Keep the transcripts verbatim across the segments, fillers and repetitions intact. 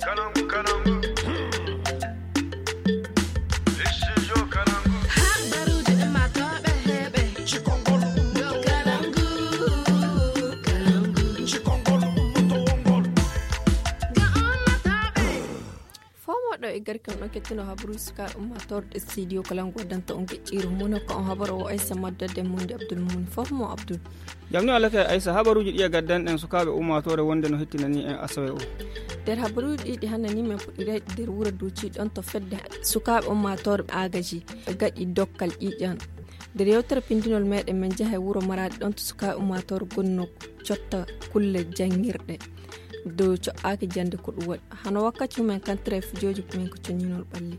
Habaruuji ummaatooɓe heɓe. Cikongol ummaatooɓe. Cikongol ummaatooɓe. Fomoɗo e garkam ɗon kettuno habaruuji sukaaɓe ummaatooɓe ɗe studio kala ngo waddanta on geƴƴiiru mum ko on habaro o aysa maddade mundi abdul mum fof mo abdul. Jam ni Allah kay aysa habaruuji ɗi e gaddanɗen sukaaɓe ummaatoore wonde no hettinani en asawe o. Nder habaruuji ɗi ɗi hannani men puɗɗiray nder wuro duuci ɗon to fedde sukaaɓe ummaatoore agaji gaɗi dokkal ƴiiƴan. Nder yewtere pindinol meɗen men jaha e wuro maraɗi ɗon to sukaaɓe ummaatoore gonno cotta kulle janngirɗe dow co'aaki jannde ko ɗum waɗi hano wakkati mumen kantere e fijooji men ko coñinol ɓalli.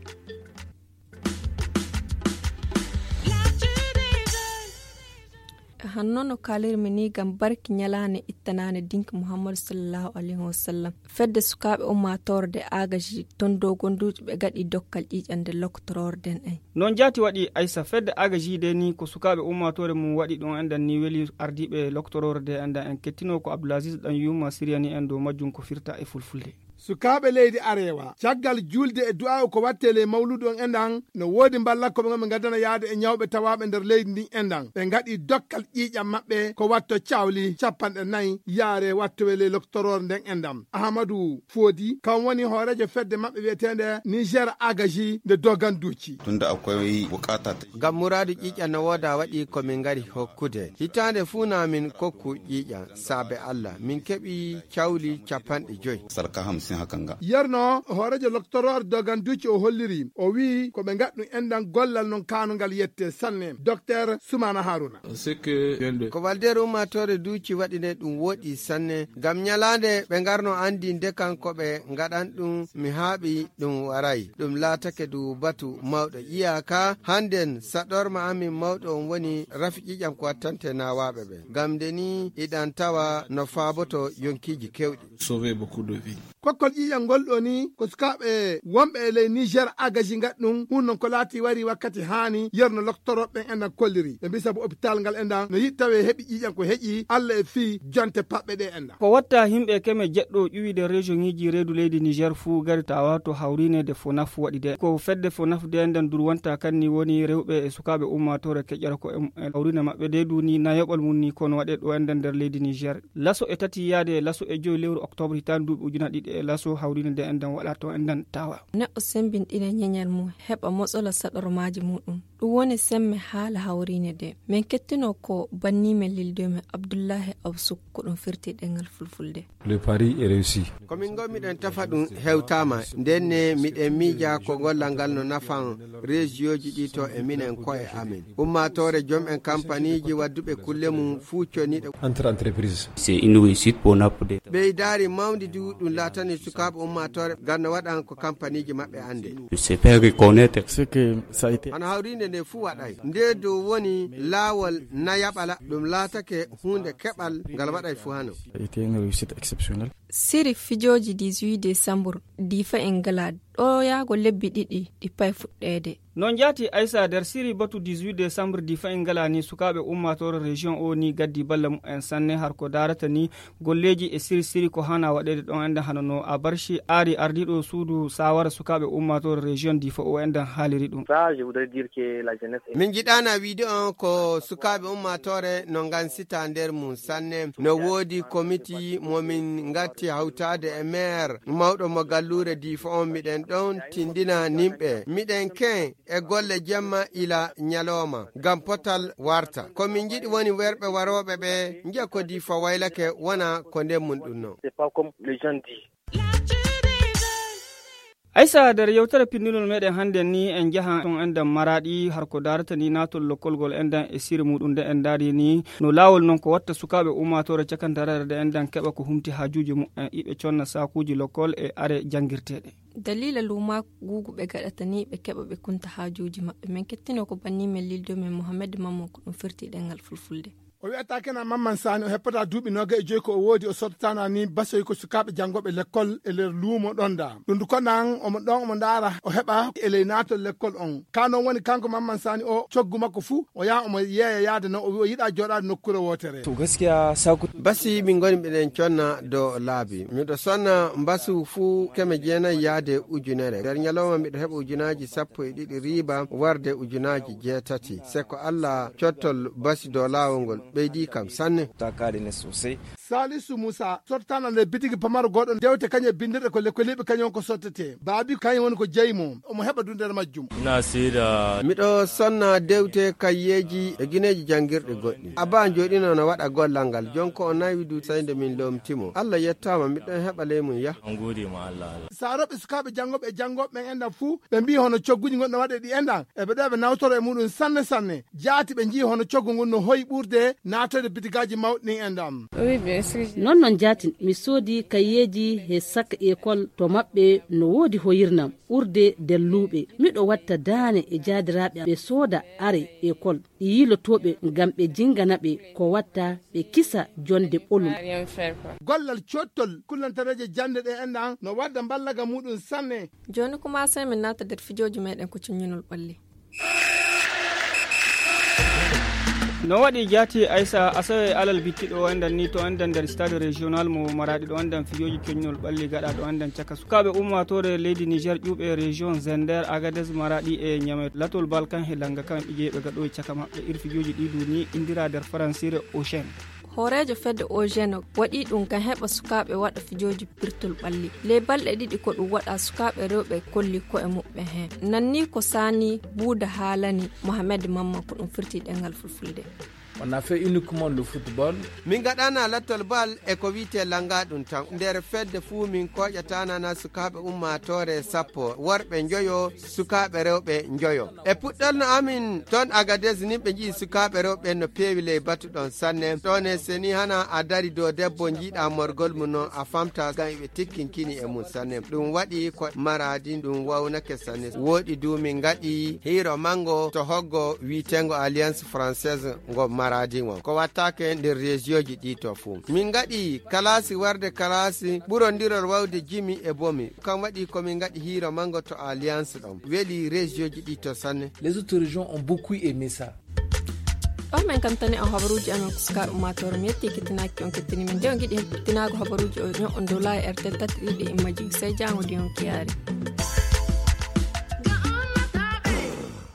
Hanno no kaalirmi ni ngam barki ñalaande ittanaande dinki muhammadu sallallahu alayhi wa sallam fedde sukaaɓe ummaatoore de agaji ton dow gonduuji ɓe gaɗi dokkal ƴiiƴande loktoroore den en. Noon jaati waɗi aysa fedde agaji de ni ko sukaaɓe ummaatoore mum waɗi ɗum enɗan ni weli ardiiɓe loktoroore de enɗan en kettino ko abdoulaziz ɗan yuma siriyani en dow majjum ko firta e fulfulde. Sukaaɓe leydi arewa caggal julde e du'aaw ko watte ley mawludu on enɗan no woodi mballa ko ɓe ngaddana yaade e ñawɓe tawaaɓe nder leydi ndin enɗan ɓe ngaɗi dokkal ƴiiƴam maɓɓe ko watto cawli capanɗe nayi yaare wattowe ley loktoroore nden enɗan ahamadu foodi kam woni hooreejo fedde maɓɓe wi'eteende niger agaji nde doganduuci. Tunda akwai bukata ta. Ngam muraadu ƴiiƴam no wooda waɗi ko min ngari hokkude hitaande fuu na min kokku ƴiiƴam saabe allah min keɓi cawli capanɗe joyi. Sarka hamsin hakan ga. Yerno hooreejo loktoroor doganduuci o holliri o wi'i ko ɓe ngaɗɗum enɗan gollal non kaanungal yette sanne docteur sumana haruna. Ko waldeer ummaatoore duuci waɗi nde ɗum woɗi sanne ngam ñalaande ɓe ngarno anndi ndekan ko ɓe ngaɗan ɗum mi haaɓi ɗum waray ɗum laatake du batu mawɗo iyaka hannden saɗorma amin mawɗo on woni rafi ƴiƴam ko wattante nawaaɓe ɓe ngam nde ni iɗan tawa no faaboto yonkiiji kewɗi. Kokkol ƴiiƴam ngol ɗo ni ko sukaaɓe wonɓe e ley niger agaji ngaɗ ɗum hun non ko laati wari wakkati haani yerno loktoroɓe ɓen enɗan kolliri ɓe mbi sabu hôpital ngal enɗan no yiɗ tawe heɓi ƴiiƴam ko heƴi allah e fii jonte paɓɓe ɗe enɗan. Ko watta yimɓe keme jeɗɗo ƴuwide région ŋiji reedu leydi niger fuu gari tawa to hawrine de fonaf waɗi de ko fedde fonaf de enɗan durwanta kanni woni rewɓe e sukaaɓe ummatore keƴƴata ko e hawrine maɓɓe de duni nayoɓal mum ni kono waɗe ɗo enɗan nder leydi niger. Laso e tati yaade e laso e joyi lewru octobre hitaande duuɓi ujuna ɗiɗi e laso hawrine de enɗan waɗa to enɗan tawa. Neɗɗo sembinɗina ñeñal mum heɓa motsola saɗormaaji muɗum. Ɗum woni semme haala hawriine de min kettino ko bannimen lildomen abdullahi absuk ko ɗum firti ɗengal fulfulde. Le pari e réussi. Ko min gommiɗen tafa ɗum hewtama ndenne miɗen miija ko gollal ngal no nafan régioji ɗi to e minen koye amen. Ummatore jom en kampaniiji wadduɓe kulle mum fuu coniɗo. Entre entreprise. C'est une réussite pour nappude. Ɓeydaari mawndi du ɗum laatani sukaaɓe ummatore ngal no waɗan ko kampaniiji maɓɓe annde. C'est faire reconnaître ce que ça a été. Hano hawrinde nde fuu waɗay nde dow woni laawol nayaɓala ɗum laatake huunde keɓal ngal waɗay fuu hano. Été une réussite exceptionnelle. Siri fijooji dix-huit décembre difa en ngala ɗoyaago lebbi ɗiɗi ɗi pay fuɗɗeede. Noon jaati aysa nder siri batu dix-huit décembre difa en ngala ni sukaaɓe ummaatoore région o ni gaddi balla mumen sanne har ko darata ni golleeji e siri siri ko hana waɗeede ɗon enɗan hano no a barci aari ardiiɗo suudu sawara sukaaɓe ummaatoore région difa o enɗan haaliri ɗum. Min jiɗana wiide on ko sukaaɓe ummaatoore no ngansita nder mum sanne no woodi komiti mo min ngatti hawtaade e maire mawɗo mo galluure diifa on miɗen ɗon tindina nimɓe miɗen ken e golle jemma ila ñalooma ngam potal warta ko min njiɗi woni werɓe warooɓe ɓe njiya ko diifa waylake wona ko nden mum ɗum no. Aysa nder yewtere pinndinol meɗen hannden ni en njahan ton enɗan maraɗi har ko darata ni natol lokkolgol enɗan e siri muɗum nde en dari ni no lawol non ko watta sukaaɓe ummatore cakantarere nde enɗan keɓa ko humti hajuji mumen iɓe conna sakuji lokkol e are janngirteɗe. Dalila luma gugu ɓe gaɗata ni ɓe keɓa ɓe kunta hajuji maɓɓe min kettino ko banni men lildo men mohammed mammo ko ɗum firti ɗengal fulfulde. O wi'ata kenan Mamman Sani o heppataa duuɓi noogay e joy ko o woodi, o sottataana ni basoy ko sukaaɓe janngooɓe lekkol e nder luumo ɗon da. Ɗum du konan omo ɗon omo ndaara o heɓa e ley naatol lekkol on. Ka non woni kanko Mamman Sani o coggu makko fuu o yaha omo yeeya yaade non o wi'a o yiɗaa jooɗaade nokkuure wootere. To gaskiya saku. Basi min ngoni miɗen conna dow laabi. Miɗo sonna mbasu fuu keme jeenayi yaade ujunere. Nder ñalawma miɗo heɓa ujunaaji sappo e ɗiɗi riiba warde ujunaaji jeetati. Se ko Alla cottol basi dow laawol ngol ɓeydii kam sanne. Ta kaɗi ne sosai. Salisu Musa sottataana nder bitigi pamaro gooɗo dewte kañum e binndirɗe ko lekkoliiɓe kañum on ko sottetee. Baabi kañum woni ko jeyi mo. Omo heɓa du nder majjum. Ina seeda. Miɗo sonna dewte kayyeeji e gineeji janngirɗi goɗɗi. Abba jooɗino no waɗa gollal ngal. Jon ko o nawi du sey nde min loomti mo. Alla yettaama miɗo heɓa ley mum yah. An gode ma Alla, Alla. Saarooɓe sukaaɓe janngooɓe e janngooɓe ɓen enɗan fuu, ɓe mbi'i hono cogguuji ngon no waɗe ɗi enɗan, e ɓe ɗo ɓe nawtoro e muɗum sanne sanne. Jaati ɓe nji'i hono coggu ngun no hoyi ɓurde naatoyde bitigaaji mawɗi ɗin enɗan. Oui, bien sûr. Non non jaatin, mi soodi kayyeeji he sak ekol to maɓɓe no woodi hoyirnam ɓurde delluuɓe. Miɗo watta daane e jaadiraaɓe ɓe sooda are ekol, e yiilotooɓe ngam ɓe jingana ɓe ko watta ɓe kisa jonde ɓolum. Gollal cottol kullantareeje jannde ɗe enɗan no wadda mballaga muɗum sanne. Jooni kuma sey min naata nder fijooji meɗen ko cuññinol ɓalli. No waɗi jaati Aisa Asawe alal bittiɗo o enɗan ni to enɗan nder stade régional mo Maraɗi ɗo enɗan fijoji coñnol ɓalli gaɗa ɗo enɗan caka sukaaɓe ummatore leydi Niger ƴuuɓe région Zender, Agadez, Maraɗi e Ñame latol bal kan he langa kan ɓijeɓe gaɗo e caka maɓɓe ir fijoji ɗi duni indira nder faransire Ocean. Hooreejo fedde Eugène waɗii ɗum ngam heɓa sukaaɓe waɗa fijooji pirtol ɓalli. Ley balɗe ɗiɗi ko ɗum waɗaa, sukaaɓe rewɓe kolli ko'e muɓɓen heen. Nannii ko Saani Buuda haalani Mohamed Mamman ko ɗum firti ɗemngal fulfulde. On a fait uniquement le football. Min ngaɗana lattol bal e ko wi'etee langa ɗum tan. Nder fedde fuu min kooƴataana na sukaaɓe ummaatoore sappo, worɓe njoyo, sukaaɓe rewɓe njoyo. E puɗɗol no amin ton Agadez nin ɓe nji'i sukaaɓe rewɓe no peewi ley batu ɗon sanne. Ɗon e seni hana a dari dow debbo njiiɗa morgol mum non a famta ngam iɓe tikkinkini e mum sanne. Ɗum waɗi ko Maradi ɗum wawnake sanne. Wooɗi du min ngaɗi hiiro mango to hoggo wi'eteengo Alliance Française ngo Maradi ngon. Ko wattaake nder région ji ɗi to fuu. Min ngaɗi kalaasi warde kalaasi ɓurondirol wawde jimi e bomi. Kam waɗi ko min ngaɗi hiiro mango to Alliance ɗon. Weli région ji ɗi to sanne. Les autres régions ont beaucoup aimé ça. Ɗo min kamtani on habaruuji amen ko sukaaɓe ummaatoore. Mi yetti kettinaaki on kettini min. Nde on ngiɗi heɓtinaago habaruuji o ño'on dow laayi R T L tati ɗiɗi immaji. Sey jaango di on kiyaari.